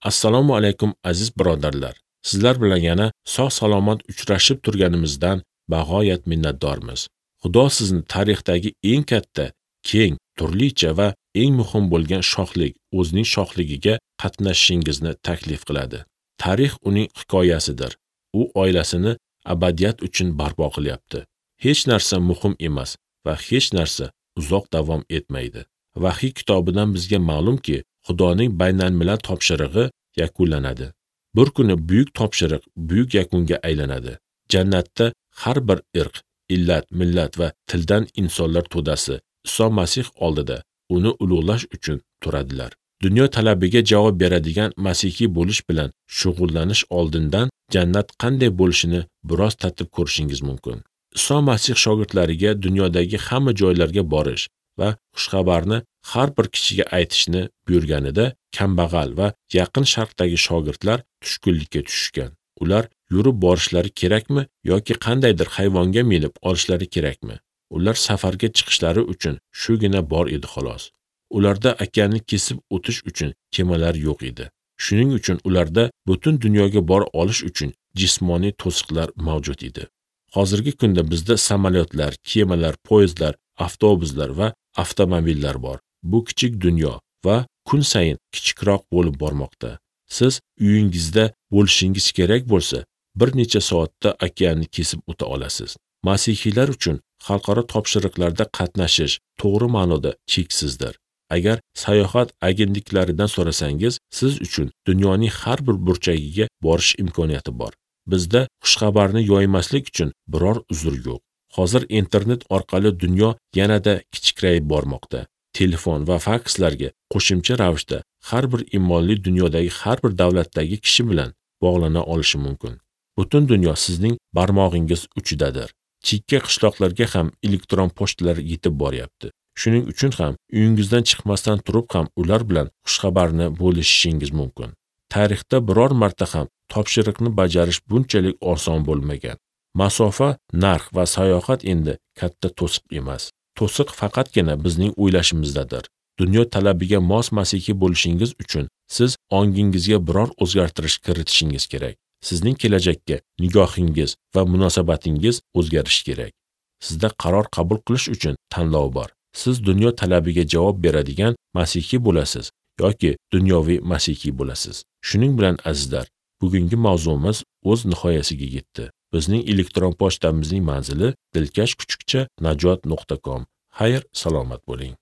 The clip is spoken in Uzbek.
Assalomu alaykum aziz birodarlar. Sizlar bilan yana sog' salomat uchrashib turganimizdan bag'oyat minnatdormiz. Xudo sizni tarixdagi eng katta, keng, turlicha va eng muhim bo'lgan shohlik, o'zining shohligiga qatnashishingizni taklif qiladi. Tarix uning hikoyasidir. U oilasini abadiyat uchun barpo qilyapti. Hech narsa muhim emas va hech narsa uzoq davom etmaydi. Vahiy kitobidan bizga ma'lumki, Xudoning baynalmilal topshirig'i yakunlanadi. Bir kuni buyuk topshiriq buyuk yakunga aylanadi. Jannatda har bir irq, illat, millat va tildan insonlar to'dasi Iso Masih oldida uni ulug'lash uchun turadilar. Dunyo talabiga javob beradigan masihiy bo'lish bilan shug'ullanish oldindan jannat qanday bo'lishini biroz tatib ko'rishingiz mumkin. Iso Masih shogirdlariga dunyodagi hamma joylarga borish va xushxabarni har bir kishiga aytishni buyurganida kambag'al va Yaqin Sharqdagi shogirdlar tushkunlikka tushishgan. Ular yurib borishlari kerakmi yoki qandaydir hayvonga minib olishlari kerakmi? Ular safarga chiqishlari uchun shugina bor edi xolos. Ularda okeanni kesib o'tish uchun kemalar yo'q edi. Shuning uchun ularda butun dunyoga bora olish uchun jismoniy to'siqlar mavjud edi. Hozirgi kunda bizda samolyotlar, kemalar, poyezdlar, avtobuslar va avtomobillar bor. Bu kichik dunyo va kun sayin kichikroq bo'lib bormoqda. Siz uyingizda bo'lishingiz kerak bo'lsa, bir necha soatda okeanni kesib o'ta olasiz. Masihiylar uchun xalqaro topshiriqlarda qatnashish to'g'ri ma'noda cheksizdir. Agar sayohat agentliklaridan so'rasangiz, siz uchun dunyoning har bir burchagiga borish imkoniyati bor. Bizda xushxabarni yoymaslik uchun biror uzr yo'q. Hozir internet orqali dunyo yanada kichikrayib bormoqda. Telefon va fakslarga qo'shimcha ravishda har bir imonli dunyodagi har bir davlatdagi kishi bilan bog'lana olishi mumkin. Butun dunyo sizning barmog'ingiz uchidadir. Chekka qishloqlarga ham elektron pochtalar yetib boryapti. Shuning uchun ham uyingizdan chiqmasdan turib ham ular bilan xushxabarni bo'lishishingiz mumkin. Tarixda biror marta ham topshiriqni bajarish bunchalik oson bo'lmagan. Masofa, narx va sayohat endi katta to'siq emas. To'siq faqatgina bizning o'ylashimizdadir. Dunyo talabiga mos masihiy bo'lishingiz uchun siz ongingizga biror o'zgartirish kiritishingiz kerak. Sizning kelajakka nigohingiz va munosabatingiz o'zgarishi kerak. Sizda qaror qabul qilish uchun tanlov bor. Siz dunyo talabiga javob beradigan masihiy bo'lasiz yoki dunyoviy masihiy bo'lasiz. Shuning bilan azizlar, bugungi mavzumiz o'z nihoyasiga yetdi. Bizning elektron pochtamizning manzili dilkash@najot.com. Xayr, salomat bo'ling.